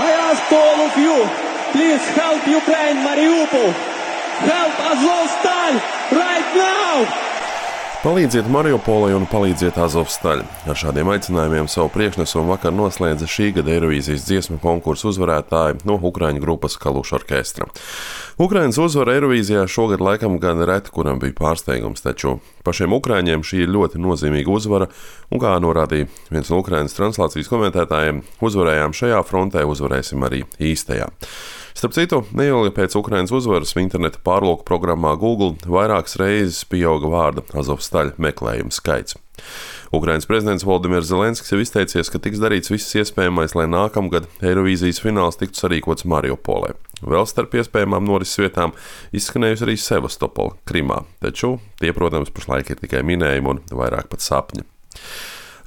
I ask all of you, please help Ukraine, Mariupol. Help Azovstal right now! Palīdziet Mariupolai un palīdziet Azovstal. Ar šādiem aicinājumiem savu priekšnesumu vakar noslēdza šī gada Eirovīzijas dziesmu konkursu uzvarētāji no Ukraiņu grupas Kaluša orkestra. Ukrainas uzvara Eirovīzijā šogad laikam gan reti, kuram bija pārsteigums, taču pašiem ukraiņiem šī ir ļoti nozīmīga uzvara, un kā norādīja viens no Ukrainas translācijas komentētājiem, uzvarējām šajā frontē, uzvarēsim arī īstajā. Starp citu, neilgi pēc Ukrainas uzvaras interneta pārlūku programmā Google vairākas reizes pieauga vārda Azovstal meklējumu skaits. Ukrainas prezidents Volodimirs Zelenskis jau izteicies, ka tiks darīts viss iespējamais, lai nākamgad Eirovīzijas fināls tiktu sarīkots Mariupolē. Vēl starp iespējamām norises vietām izskanējusi arī Sevastopola, Krimā, taču tie, protams, pašlaik ir tikai minējumi un vairāk pat sapņi.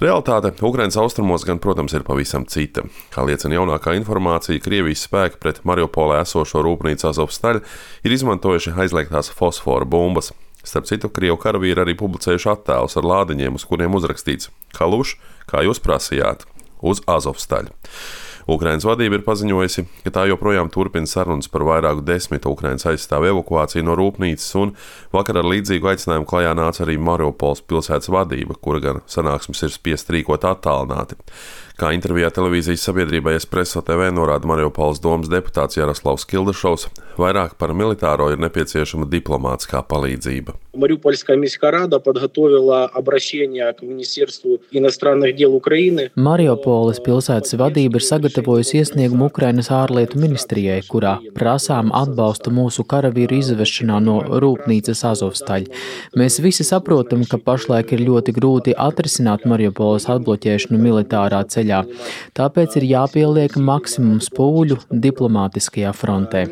Realitāte Ukrainas austrumos gan, protams, ir pavisam cita. Kā liecina jaunākā informācija, Krievijas spēki pret Mariupolē esošo rūpnīcu Azovstal ir izmantojuši aizliegtās fosfora bumbas. Starp citu, Krievu karavīri arī publicējuši attēlus ar lādiņiem, uz kuriem uzrakstīts Kaluš, kā jūs prasījāt, uz Azovstal. Ukrainas vadība ir paziņojusi, ka tā joprojām turpina sarunas par vairāku desmitu Ukrainas aizstāvu evakuāciju no rūpnīcas, un vakar ar līdzīgu aicinājumu klajā nāca arī Mariupoles pilsētas vadība, kura gan sanāksmes ir spiest rīkot attālināti. Kā intervijā televīzijas sabiedrībai Espresso TV norāda Mariupoles domas deputāts Jaroslavs Kildašovs, vairāk par militāro ir nepieciešama diplomātiskā palīdzība. Мариупольская міська рада подготовила обращение к Министерству иностранных дел Украины. Mariupoles pilsētas vadība ir sagatavojusi iesniegumu Ukrainas ārlietu ministrijai, kurā prasām atbalstu mūsu karavīru izvešanā no rūpnīcas Azovstal. Mēs visi saprotam, ka pašlaik ir ļoti grūti atrisināt Mariupoles atbloķēšanu militārā ceļā, tāpēc ir jāpieliek maksimums pūļu diplomātiskajā frontē.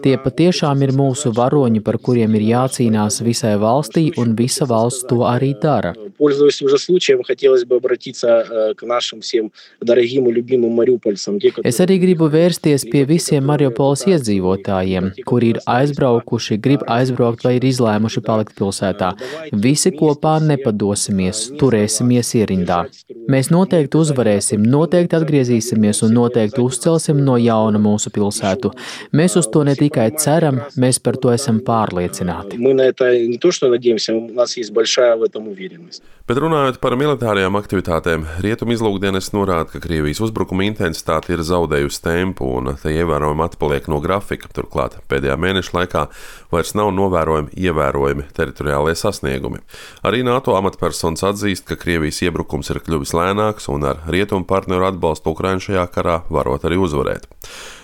Tie patiešām ir mūsu varoņi, par kuriem ir jācīnās visai valstī, un visa valsts to arī dara. Пользуясь уже случаем, хотелось бы обратиться к нашим всем дорогим и любимым мариупольцам. Es arī gribu vērsties pie visiem Mariupoles iedzīvotājiem, kuri ir aizbraukuši, grib aizbraukt vai ir izlēmuši palikt pilsētā. Visi kopā nepadosimies, turēsimies ierindā. Mēs noteikti uzvarēsim, noteikti atgriezīsimies un noteikti uzcelsim no jauna mūsu pilsētu. Mēs uz to ne tikai ceram, mēs par to esam pārliecināti. Мы на это не то что надеемся, у нас есть большая в этом уверенность. Bet runājot par militārajām aktivitātēm, Rietumu izlūkdienests norāda, ka Krievijas uzbrukuma intensitāte ir zaudējusi tempu un te ievērojami atpaliek no grafika. Turklāt pēdējā mēneša laikā vairs nav ievērojami teritoriālie sasniegumi. Arī NATO amatpersonas atzīst, ka Krievijas iebrukums ir kļuvis lēnāks un ar Rietumu partneru atbalstu Ukrainu šajā karā varot arī uzvarēt.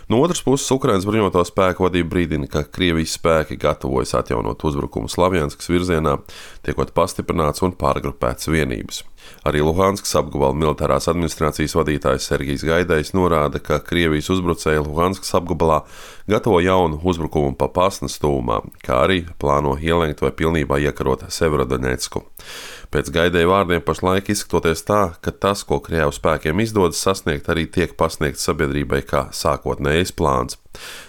No otras puses, Ukrainas bruņoto spēku vadība brīdina, ka Krievijas spēki gatavojas atjaunot uzbrukumu Slavjanskas virzienā, tiekot pastiprināts un pārgrupēts vienības. Arī Luhanskas apgabala militārās administrācijas vadītājs Sergijs Gaidējs norāda, ka Krievijas uzbrucēji Luhanskas apgabalā gatavo jaunu uzbrukumu pa Pasnas tūmā, kā arī plāno ielenkt vai pilnībā iekarot Severodonecku. Pēc Gaidēja vārdiem pašlaik izskatoties tā, ka tas, ko Krievu spēkiem izdodas sasniegt, arī tiek pasniegts sabiedrībai kā sākotnējais plāns.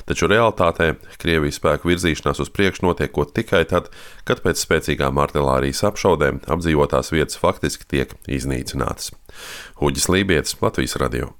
Taču realitātē Krievijas spēku virzīšanās uz priekšu notiekot tikai tad, kad pēc spēcīgām artilērijas apšaudēm apdzīvotās vietas faktiski tiek iznīcinātas. Huģis Lībietis, Latvijas radio.